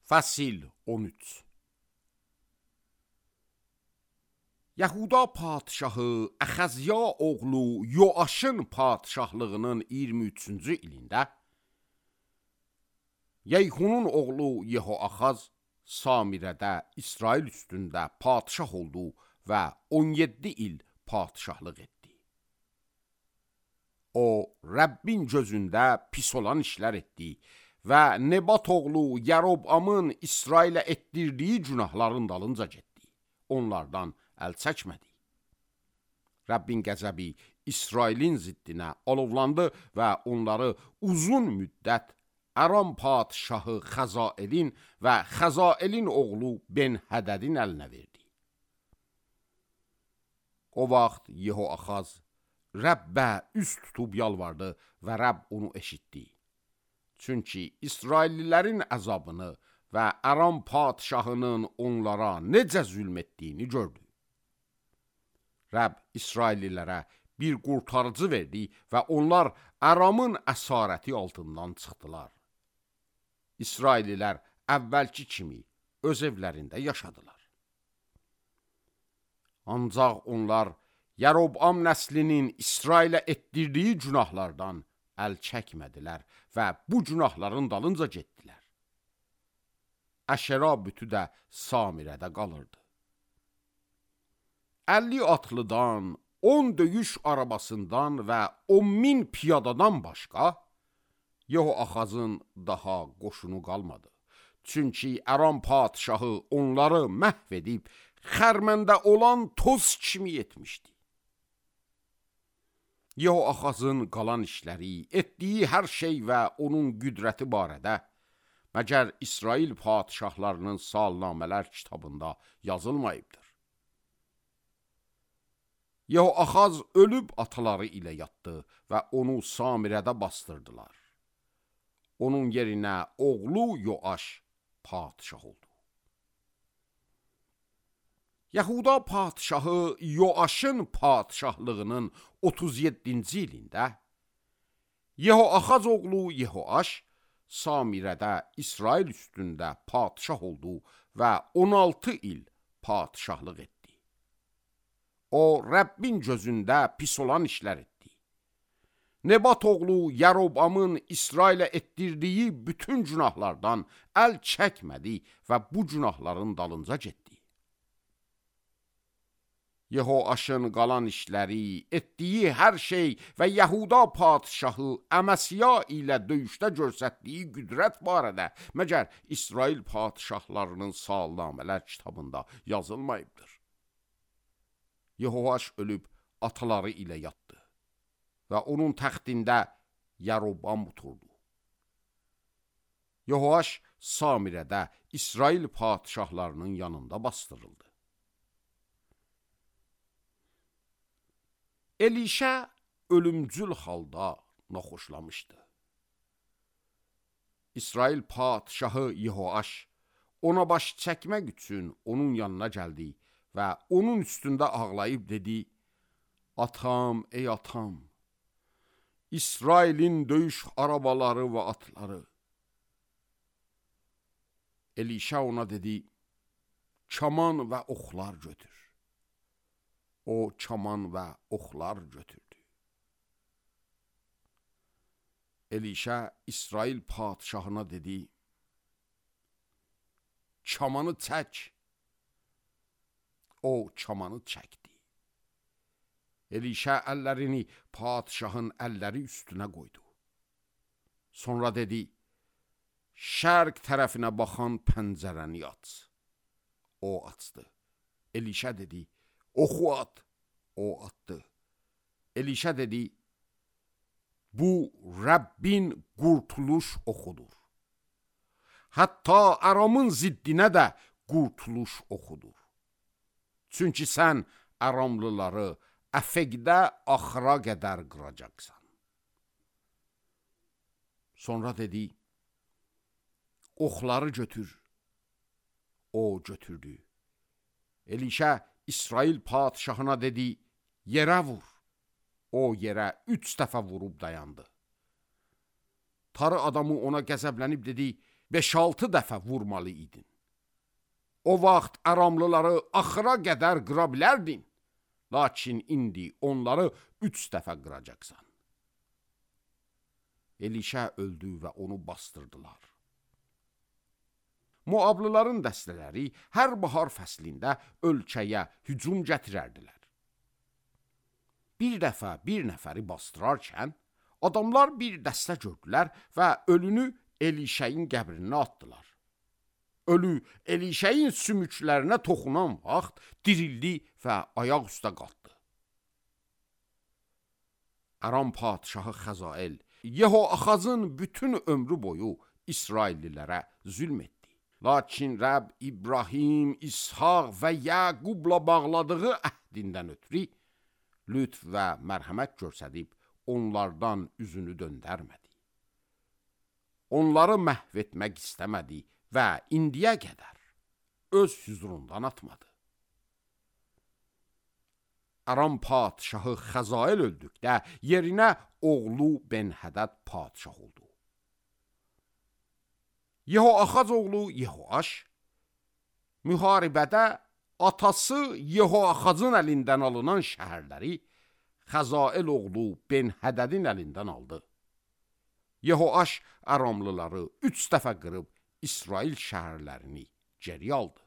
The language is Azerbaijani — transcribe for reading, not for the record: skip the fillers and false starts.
Fəsil 13. Yahuda padşahı Əxəzya oğlu Yoaşın padşahlığının 23-cü ilində Yeyxunun oğlu Yehoaxaz Samirədə İsrail üstündə padşah oldu və 17 il padşahlıq etdi. O, Rəbbin gözündə pis olan işlər etdi və Nebat oğlu Yərobamın İsrailə etdirdiyi günahların dalınca getdi. Onlardan əl çəkmədi. Rəbbin qəzəbi İsrailin ziddinə alovlandı və onları uzun müddət Aram padşahı Xəzaelin və Xəzaelin oğlu Ben-Hədədin əlinə verdi. O vaxt Yehoaxaz Rəbbə üz tutub yalvardı və Rəbb onu eşitdi. Çünki İsraillilərin əzabını və Aram padşahının onlara necə zülm etdiyini gördü. Rəbb İsraillilərə bir qurtarıcı verdi və onlar Aramın əsarəti altından çıxdılar. İsraillilər əvvəlki kimi öz evlərində yaşadılar. Ancaq onlar Yərobam nəslinin İsrailə etdirdiyi günahlardan əl çəkmədilər və bu günahların dalınca getdilər. Əşera bütü də Samirədə qalırdı. 50 atlıdan, 10 döyüş arabasından və 10.000 piyadadan başqa Yehoaxazın daha qoşunu qalmadı. Çünki Aram padşahı onları məhv edib xərməndə olan toz kimi etmişdi. Yehoaxazın qalan işləri, etdiyi hər şey və onun qüdrəti barədə məgər İsrail padşahlarının salnamələr kitabında yazılmayıbdır. Yehoaxaz ölüb ataları ilə yatdı və onu Samirədə bastırdılar. Onun yerinə oğlu Yoaş padşah oldu. Yahuda padşahı Yoaşın padşahlığının 37-ci ilində Yehoaxaz oğlu Yehoaş Samirədə İsrail üstündə padşah oldu və 16 il padşahlıq etdi. O, Rəbbin gözündə pis olan işlər etdi. Nebat oğlu Yərobamın İsrailə etdirdiyi bütün günahlardan əl çəkmədi və bu günahların dalınca getdi. Yehoaşın qalan işləri, etdiyi hər şey və Yahuda padşahı Əməsiya ilə döyüşdə göstərdiyi qüdrət barədə məgər İsrail padşahlarının salnamələr kitabında yazılmayıbdır. Yehoaş ölüb ataları ilə yatdı və onun təxtində Yərobam oturdu. Yehoaş Samirədə İsrail padşahlarının yanında bastırıldı. Elişə ölümcül halda naxoşlamışdı. İsrail padşahı Yehoaş ona baş çəkmək üçün onun yanına gəldi və onun üstündə ağlayıb dedi: "Atam, ey atam, İsrailin döyüş arabaları və atları." Elişə ona dedi: "Kaman və oxlar götür." O, kaman və oxlar götürdü. Elişə İsrail padşahına dedi: "Kamanı çək." O, kamanı çəkdi. Elişə əllərini padşahın əlləri üstünə qoydu. Sonra dedi: "Şərq tərəfinə baxan pəncərəni aç." O açdı. Elişə dedi: "Oxu at." O atdı. Elişə dedi: "Bu Rəbbin qurtuluş oxudur. Hətta Aramın ziddinə də qurtuluş oxudur. Çünki sən Aramlıları Əfəqdə axıra qədər qıracaqsan." Sonra dedi: "Oxları götür." O götürdü. Elişə İsrail padşahına dedi: "Yerə vur." O yerə 3 dəfə vurub dayandı. Tarı adamı ona qəzəblənib dedi: 5-6 dəfə vurmalı idin. O vaxt Aramlıları axıra qədər qıra bilərdin, lakin indi onları 3 dəfə qıracaqsan. Elişə öldü və onu bastırdılar. Moablıların dəstələri hər bahar fəslində ölkəyə hücum gətirərdilər. Bir dəfə bir nəfəri bastırarkən, adamlar bir dəstə gördülər və ölünü Elişəyin qəbrinə atdılar. Ölü Elişəyin sümüklərinə toxunan vaxt dirildi və ayaq üstə qalxdı. Aram padşahı Xəzael, Yehoaxazın bütün ömrü boyu İsraillilərə zülm etdi. Lakin Rəbb İbrahim, İshaq və Yaqubla bağladığı əhdindən ötürü lütf və mərhəmət göstərib onlardan üzünü döndərmədi. Onları məhv etmək istəmədi və indiyə qədər öz hüzurundan atmadı. Aram padşahı Xəzael öldükdə yerinə oğlu Ben-Hədəd padşah oldu. Yehoaxaz oğlu Yehoaş müharibədə atası Yehoaxazın əlindən alınan şəhərləri Xəzael oğlu Ben-Hədədin əlindən aldı. Yehoaş Aramlıları 3 dəfə qırıb İsrail şəhərlərini geri aldı.